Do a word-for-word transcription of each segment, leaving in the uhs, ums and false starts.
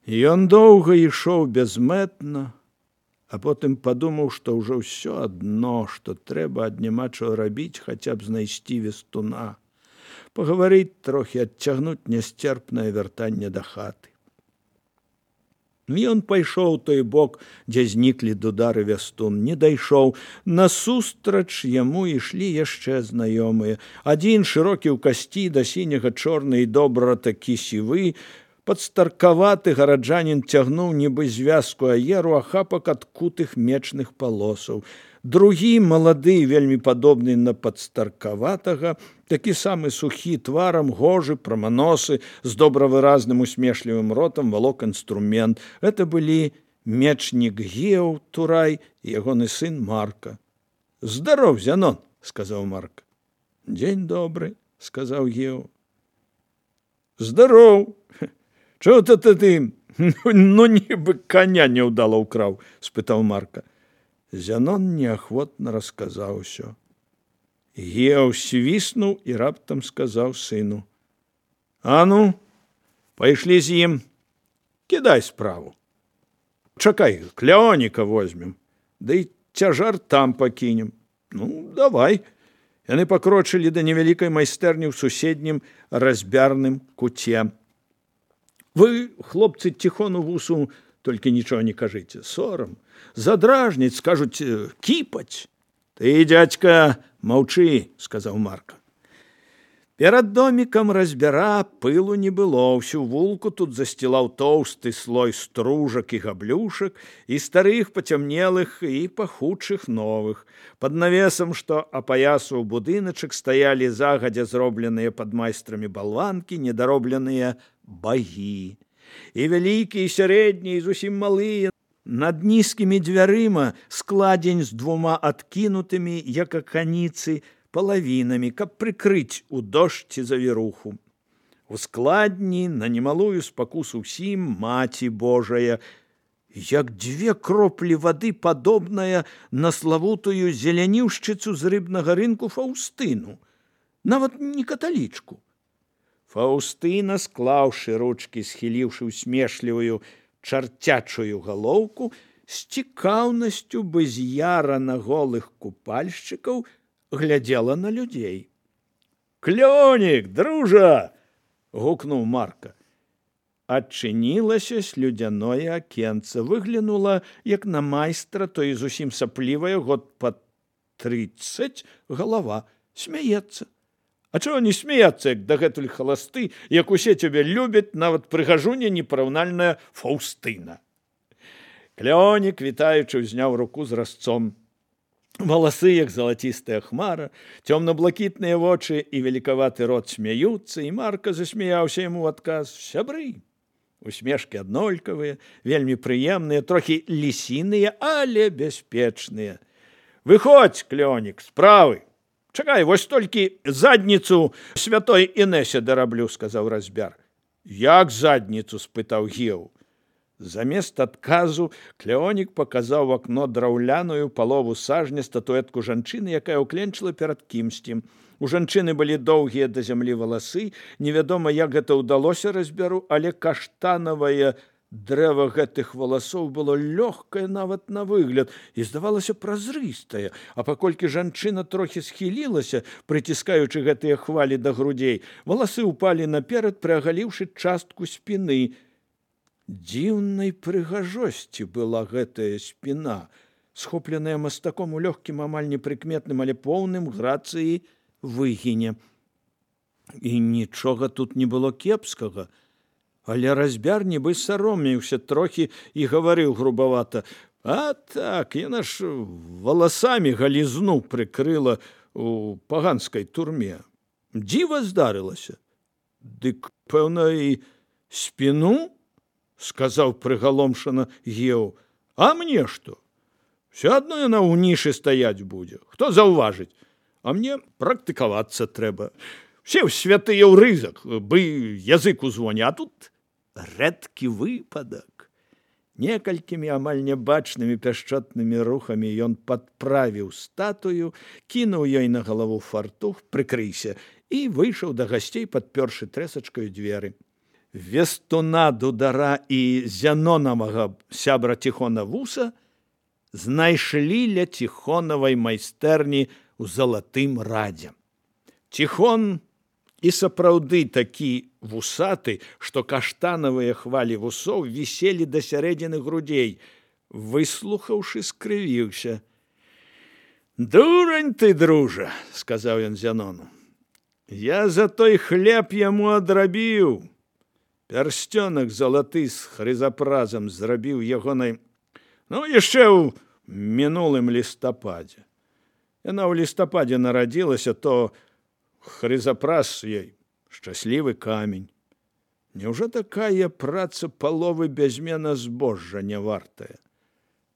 Ён доўга ішоў бязмэтна, а потым падумаў, што ўжо ўсё адно, што трэба ад няма чаго рабіць, хаця б знайсці вестуна, пагаварыць трохі, адцягнуць нясцерпнае вяртанне да хаты. Ён пайшоў у той бок, дзе зніклі Дудар і Вястун, не дайшоў. Насустрач яму ішлі яшчэ знаёмыя. Адзін шырокі ў касці, да сіняга чорны і добра такі сівы, падстаркаваты гараджанін цягнуў нібы звязку аеру ахапак адкутых мечных палосаў. Другі, малады, вельмі падобны на падстаркаватага, такі самы сухі тварам, гожы, праманосы, з добравыразным усмешлівым ротам, валок інструмент. Гэта былі мечнік Геў Турай і ягоны сын Марка. «Здаров, Зянон!» – сказаў Марка. «Дзень добры!» – сказаў Геў. «Здаров! Чого то ты, ну нібы коня няўдала ўкраў?» – спытаў Марка. Зянон неахвотна расказаў усё. Геў свіснуў і раптам сказаў сыну: «А ну, пайшлі з ім, кідай справу. Чакай, Клеоніка возьмем, да і цяжар там пакінем. Ну, давай». Яны пакрочылі да невялікай майстэрні ў суседнім разьбярным куце. «Вы, хлопцы, ціхону вусу, толькі нічого не кажыце, сорам. Задражніць, скажуць, кіпаць». «Ты, дядька, маўчы», – сказаў Марка. Перад домікам разьбяра пылу не было, ўсю вулку тут засцілаў тоўсты слой стружак і габлюшак, і старых пацямнелых, і пахучых новых. Пад навесам, што апаясаў будыначак, стаялі загадзя зробленыя пад майстрамі балванкі, недаробленыя багі. І вялікія, і сярэднія, і зусім малыя. Над нізкімі дзвярыма складзень з двума адкінутымі, як аканіцы, палавінамі, каб прыкрыць у дождь ці завіруху. У складні на немалую спакусу ўсім Маці Божая, як дзве кроплі вады, падобная на славутую зеляніўшчыцу з рыбнага рынку Фаўстыну, нават не каталічку. Фаўстына, склаўшы ручкі, схіліўшы усмешлівую чарцячую галоўку, з цікаўнасцю быз'яра на голых купальшчыкаў глядзела на людзей. «Клёнік, дружа!» – гукнуў Марка. Адчынілася слюдзяное акенца, выглянула, як на майстра, то і зусім саплівая, год пад трыццаць, галава, смяецца. «А чого не смеяться, як дагэтуль халасты, як усе цябе любяць, нават прыгажуня непараўнальная Фаўстына?» Клёнік, вітаючы, узняў руку з разцом. Валасы, як залацістая хмара, цёмна-блакітныя вочы і великаваты рот смяюцца, і Марка засмяяўся яму ў адказ. «Сябры!» Усмешкі аднолькавыя, вельмі прыемныя, трохі лісіныя, але бяспечныя. «Выходзь, Клёнік, справы! Чакай, вось толькі задніцу святой Інэсе дараблю», – сказаў разьбяр. «Як задніцу?» – спытаў Геў. Замест адказу Клеонік паказаў в акно драўляную палову сажня статуэтку жанчыны, якая ўкленчыла перад кімсьці. У жанчыны былі доўгія да зямлі валасы, невядома, як гэта ўдалося разьбяру, але каштанавае дрэва гэтых валасоў было лёгкае нават на выгляд і здавалася празрыстае, а паколькі жанчына трохі схілілася, прыціскаючы гэтыя хвалі да грудзей, валасы ўпалі наперад, прыагаліўшы частку спіны. Дзіўнай прыгажосці была гэтая спіна, схопленая мастаком у лёгкім, амаль непрыкметным, але поўным грацыі выгіне. І нічога тут не было кепскага. Але разьбяр нібы саромеўся трохі і гаварыў грубавата: «А так, яна ж валасамі галізну прыкрыла у паганскай турме. Дзіва здарылася». «Дык, пэўна, і спіну?» – сказаў прыгаломшана Геў. «А мне што? Все адно яна ў нішы стаяць будзе. Хто заўважыць? А мне практыкавацца трэба. Все святыя ў рызак, бы язык узвоне, а тут рэдкі выпадак». Некалькімі амаль нябачнымі пяшчотнымі рухамі ён падправіў статую, кінуў ёй на галаву фартух, прыкрыйся, і выйшаў да гасцей, падпёршы трэсачкаю дзверы. Вестуна Дудара і Зянонавага сябра Тихона Вуса знайшлі ля Тихонавай майстэрні ў Залатым Радзе. Тихон і сапраўды такі вусаты, што каштанавыя хвалі вусоў віселі да сярэдзіны грудзей. Выслухаўшы, скрывіўся. «Дурань ты, дружа», – сказаў ён Зянону. «Я за той хлеб яму адрабіў. Пярсцёнак залаты з хрызапразам зрабіў ягонай, ну, яшчэ ў мінулым лістападзе. Яна ў лістападзе нарадзілася, то хрызапраз ёй шчаслівы камень. Няўжо такая праца паловы бязмена збожжа не вартая?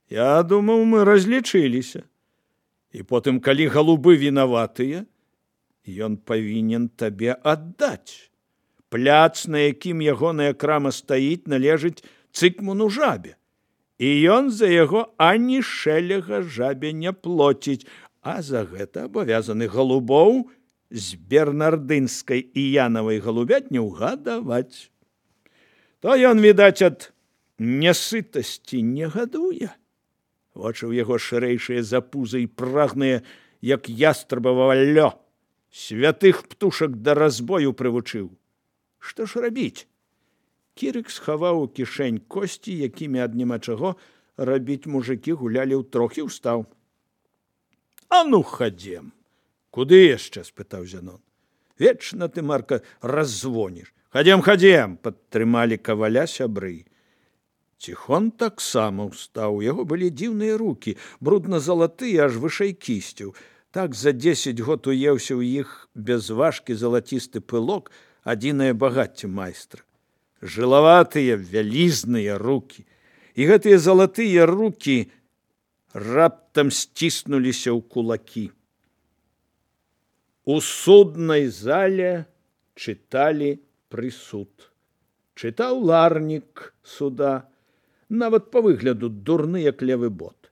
Я думаў, мы разлічыліся. І потым, калі галубы вінаватыя, ён павінен табе аддаць. Пляц, на якім ягоная крама стаіць, належыць Цыкмуну Жабе. І ён за яго ані шэлега Жабе не плоціць, а за гэта абавязаны галубоў з бернардынскай і янавай галубятні ўгадаваць. То ён, відаць, ад нясытасці не гадуе. Вочы ў яго шырэйшыя за пузы і прагныя, як ястрабава лё. Святых птушак да разбою прывучыў. Што ж рабіць? Кірык схаваў у кішэнь косці, якімі ад няма чаго рабіць мужыкі гулялі ўтрох, і ўстаў. «А ну, хадзем!» «Куды яшчэ?» – спытаў Зянон. «Вечна ты, Марка, раззвоніш». «Хадзем, хадзем!» – падтрымалі каваля сябры. Тихон таксама ўстаў. У яго былі дзіўныя рукі, брудна-залатыя, аж вышэй кісцяў. Так за дзесяць год уеўся ў іх безважкі залацісты пылок, адзінае багацце майстра. Жылаватыя, вялізныя рукі. І гэтыя залатыя рукі раптам сціснуліся ў кулакі. У суднай зале чыталі прысуд. Чытаў ларнік суда, нават па выгляду дурны, як левы бот.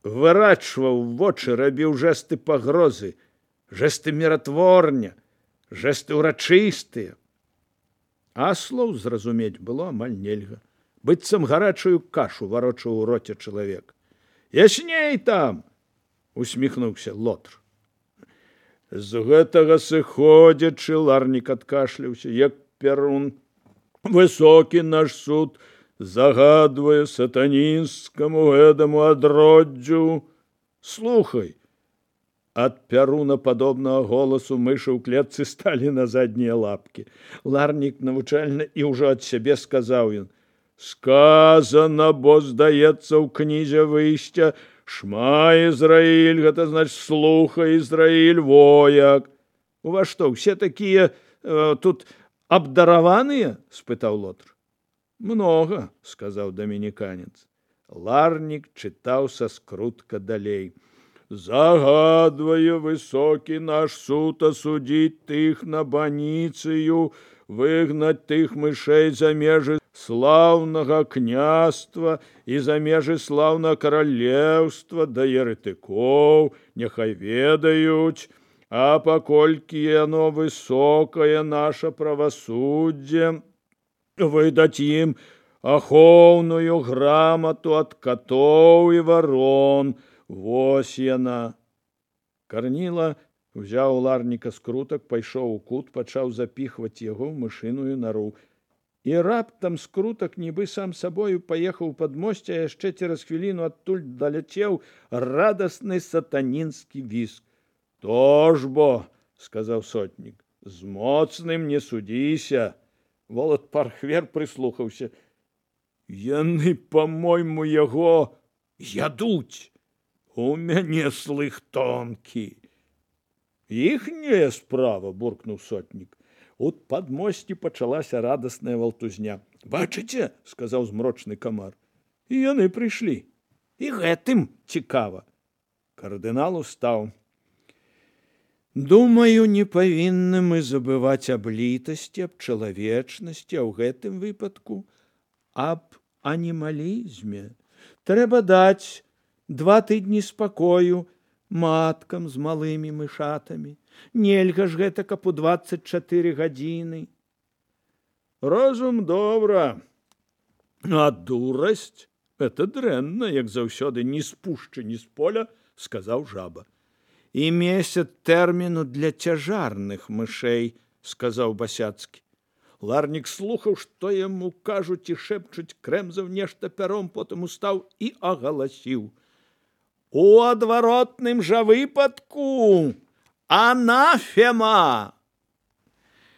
Вырачваў вочы, рабіў жэсты пагрозы, жэсты міратворня, жэсты ўрачыстыя. А слоў зразумець было амаль нельга. Быццам гарачую кашу варочаў у роце чалавек. «Ясней там!» – усміхнуўся Лотр. З гэтага сыходзячы, ларнік адкашляўся, як пярун. «Высокі наш суд загадвае сатанінскаму гэтаму адроддзю». «Слухай!» Ад пяруна падобнага голасу мышы ў клетцы сталі на заднія лапкі. Ларнік навучальна і ўжо ад сябе сказаў ён. «Сказана, бо здаецца ў кнізе выйсця, шма Ізраіль, гэта значыць слухай, Ізраіль, вояк». «У вас што, усе такія э, тут абдараваныя?» – спытаў Лотр. «Многа», – сказаў дамініканец. Ларнік чытаў са скрутка далей. «Загадвае высокі наш суд асудзіць тых на баніцыю, выгнаць тых мышэй за межы слаўнага княства і за межы слаўнага каралеўства да еретыкоў, няхай ведаюць, а паколькі яно высокае наша правасуддзе, выдаць ім ахоўную грамату ад катоў і варон». Вось яна. Карніла узяў у ларніка скрутак, пайшоў у кут, пачаў запіхваць яго ў мышыную нару. І раптам скрутак, нібы сам сабою, паехаў пад мосце, а яшчэ цераз хвіліну адтуль даляцеў радасны сатанінскі віск. «То ж бо», – сказаў сотнік, – «з моцным не судзіся». Волат Пархвер прыслухаўся. «Яны, па-мойму, яго ядуць. У мяне слых тонкі». «Іхняя справа», – буркнуў сотнік. У падмосці пачалася радасная валтузня. «Бачыце?» – сказаў змрочны камар. «І яны прыйшлі. І гэтым цікава». Кардынал устаў. «Думаю, не павінны мы забываць аб літасці, аб чалавечнасці, а ў гэтым выпадку аб анімалізме. Трэба даць два тыдні спакою маткам з малымі мышатамі. Нельга ж гэта, каб у дваццаць чатыры гадзіны». Розум добра, а дурасць – это дрэнна, як заўсёды ні з пушчы, ні з поля, сказаў жаба. І месяц тэрміну для цяжарных мышэй, сказаў Басяцкі. Ларнік слухаў, што яму кажуць і шэпчуць, крэмзаў нешта пяром, потым устаў і агаласіў: у адваротным жа выпадку анафема!